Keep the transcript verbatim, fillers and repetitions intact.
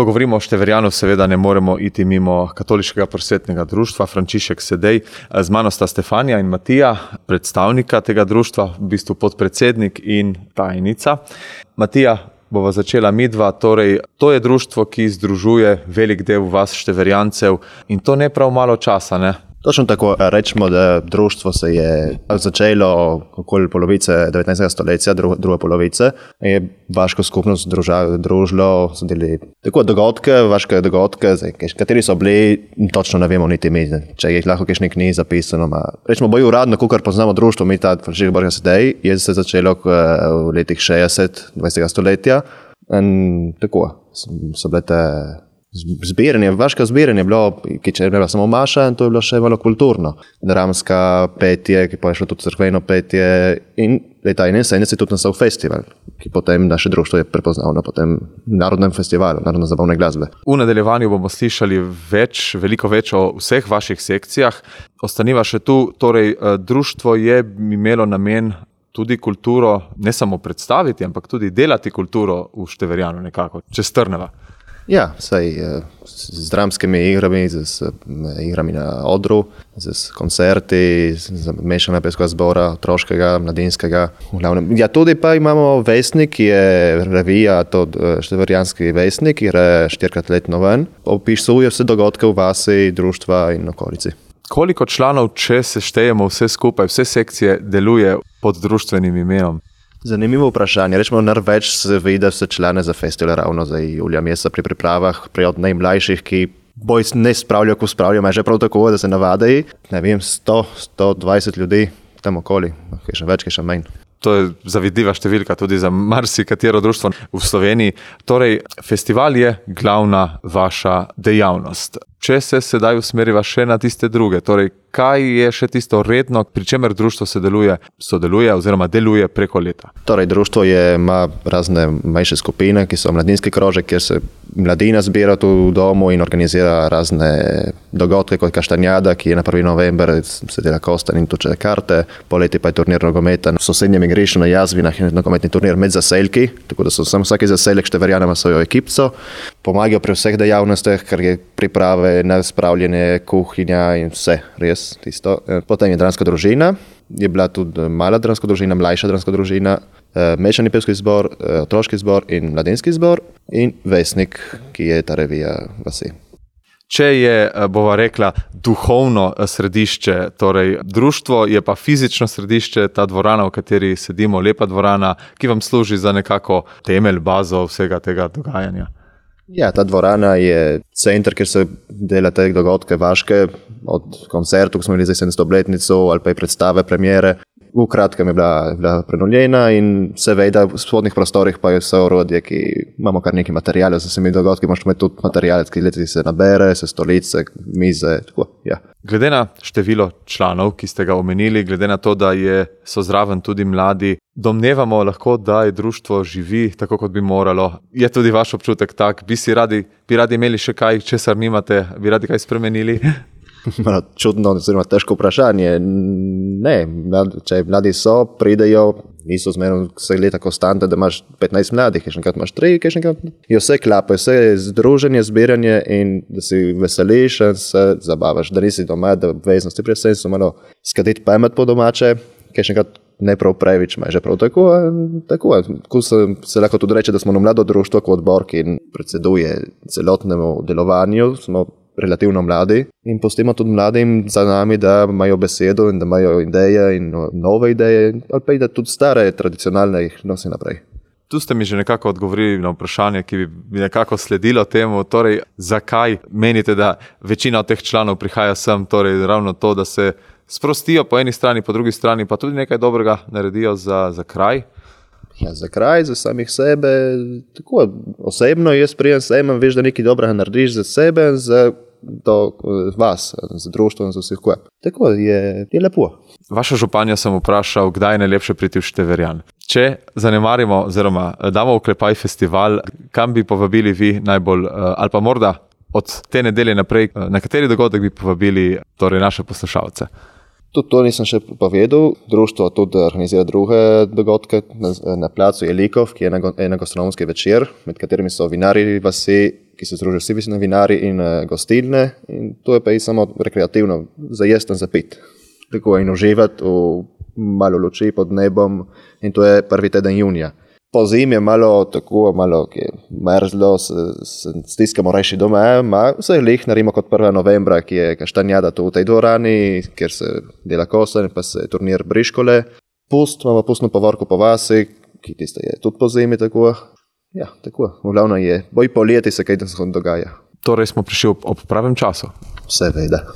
Ko govorimo o Števerjanu, seveda ne moremo iti mimo katoliškega prosvetnega društva Frančišek Sedej. Z mano sta Stefanija in Matija, predstavnika tega društva, v bistvu podpredsednik in tajnica. Matija, bova začela midva, torej to je društvo, ki združuje velik del vas Števerjancev in to ne prav malo časa, ne? Točno tako, rečemo, da društvo se je začelo okoli polovice devetnajstega stoletja, dru, druge polovice. Je vaško skupnost druža, družilo, so delili tako dogodke, vaške dogodke, zdaj, kateri so bili, točno ne vemo niti mi, če je lahko kakšne knjige zapisano. Ma, rečemo, bolj uradno, kakor poznamo društvo, mi ta Frančišek Sedej, je se začelo v letih šestdeset dvajsetega stoletja. In tako, so bile te zbiranje, vaška zbiranje je bilo, ki če je bila samo maša, in to je bilo še malo kulturno. Dramska petje, ki pa je šlo tudi crkveno petje in leta enainsedemdeset tudi nastal festival, ki potem naše društvo je prepoznal na potem narodnem festivalu, narodno zabavne glasbe. V nadaljevanju bomo slišali več, veliko več o vseh vaših sekcijah. Ostaniva še tu, torej društvo je imelo namen tudi kulturo ne samo predstaviti, ampak tudi delati kulturo v Števerjanu nekako, če strneva. Ja, saj z dramskimi igrami, z igrami na odru, z koncerti, z mešana pevskega zbora, otroškega, mladinskega. Ja, tudi pa imamo Vesnik, ki je revija, to Števerjanski Vesnik, ki je štirikrat letno ven. Opisuje vse dogodke v vasi, društva in okolici. Koliko članov, če se štejemo vse skupaj, vse sekcije deluje pod društvenim imenom? Zanimivo vprašanje. Rečemo, največ se vidi vse člane za festival ravno za julija meseca pri pripravah, pri od najmlajših, ki boj ne spravljajo, ko spravljajo, je že prav tako, da se navadajo. Ne vem, sto, sto dvajset ljudi tam okoli, kaj še več, kaj še manj. To je zavidljiva številka tudi za marsikatero društvo v Sloveniji. Torej, festival je glavna vaša dejavnost. Če se sedaj usmeriva še na tiste druge, torej, kaj je še tisto redno, pri čemer društvo sodeluje, sodeluje oziroma deluje preko leta? Torej, društvo je, ima razne manjše skupine, ki so mladinski krožek, kjer se mladina zbira tu v domu in organizira razne dogodke kot Kaštanjada, ki je na prvi november, se dela Kostan in tuče karte, poleti pa je turnir nogometa v sosednjem igrišču na Jazvinah in nogometni turnir med zaselki, tako da so sam vsaki zaselek Števerjana ima svojo ekipco, pomagajo pri vseh dejavnostih, ker je priprave na spravljanje, kuhinja in vse, res tisto. Potem je dramska družina, je bila tudi mala dramska družina, mlajša dramska družina, mešani pevski zbor, otroški zbor in mladinski zbor in Vesnik, ki je ta revija vasi. Če je, bova rekla, duhovno središče, torej društvo je pa fizično središče, ta dvorana, v kateri sedimo, lepa dvorana, ki vam služi za nekako temelj, bazo vsega tega dogajanja. Ja, ta dvorana je center, kjer se dela te dogodke vaške, od koncertu, ko smo imeli za sedemsto obletnico, ali pa je predstave, premiere. V kratkem je bila, bila prenovljena in seveda v spodnjih prostorih pa je vse orodje, ki imamo kar nekaj materijale, za vsemi dogodki možemo imeti tudi materijale, ki leti se nabere, se stolice, mize, tako, ja. Glede na število članov, ki ste ga omenili, glede na to, da je, so zraven tudi mladi, domnevamo lahko, da je društvo živi tako, kot bi moralo. Je tudi vaš občutek tak? Bi si radi, bi radi imeli še kaj, česar nimate, bi radi kaj spremenili? Malo čudno, oziroma težko vprašanje. Ne, mladi, če mladi so, pridejo, niso zmerno vse leta konstante, da imaš petnajst mladih, kaj še enkrat imaš tri, kaj še enkrat. Je vse klape, vse je združenje, zbiranje in da si veseliš in se zabavaš, da nisi doma, da obveznosti pri sensu malo skaditi pamet po domače, kaj še enkrat ne prav previč, ima že prav tako. Tako se, se lahko tudi reče, da smo na mlado društvo kot odbor, ki predseduje celotnemu delovanju, smo relativno mladi in pustimo tudi mladim za nami, da imajo besedo in da imajo ideje in nove ideje, ali pa i da tudi stare, tradicionalne jih nosi naprej. Tu ste mi že nekako odgovorili na vprašanje, ki bi nekako sledilo temu, torej zakaj menite, da večina od teh članov prihaja sem, torej ravno to, da se sprostijo po eni strani, po drugi strani pa tudi nekaj dobrega naredijo za, za kraj? Ja, za kraj, za samih sebe, tako osebno jaz prijem sem, veš, da nekaj dobrega narediš za sebe, za to vas, za društvo in za vseh kaj. Tako je, je lepo. Vaša županja sem vprašal, kdaj je najlepše priti v Števerjan. Če zanemarimo, oziroma damo vklepaj festival, kam bi povabili vi najbolj, ali pa morda od te nedelje naprej, na kateri dogodek bi povabili torej naše poslušalce? Tudi to nisem še povedal. Društvo tudi organizira druge dogodke na, na placu Jelikov, ki je ena gastronomski večer, med katerimi so vinari vasi, ki se združijo vsi vinari in uh, gostilne, in to je pa i samo rekreativno, za jesti in za pit. Tako in uživati v malo luči pod nebom, in to je prvi teden junija. Po zimi je malo tako, malo ki je mrzlo, se, se stiskamo rajši doma, ma vse lih naredimo kot prvega novembra, ki je kaštanjada tu v tej dvorani, kjer se dela kosa in pa se turnir briškole. Pust, imamo pustno povorko po vasi, ki tiste je tudi po zimi tako. Ja, tako, v glavno je, boj poleti se kaj dogaja. Torej smo prišli ob, ob pravem času. Seveda.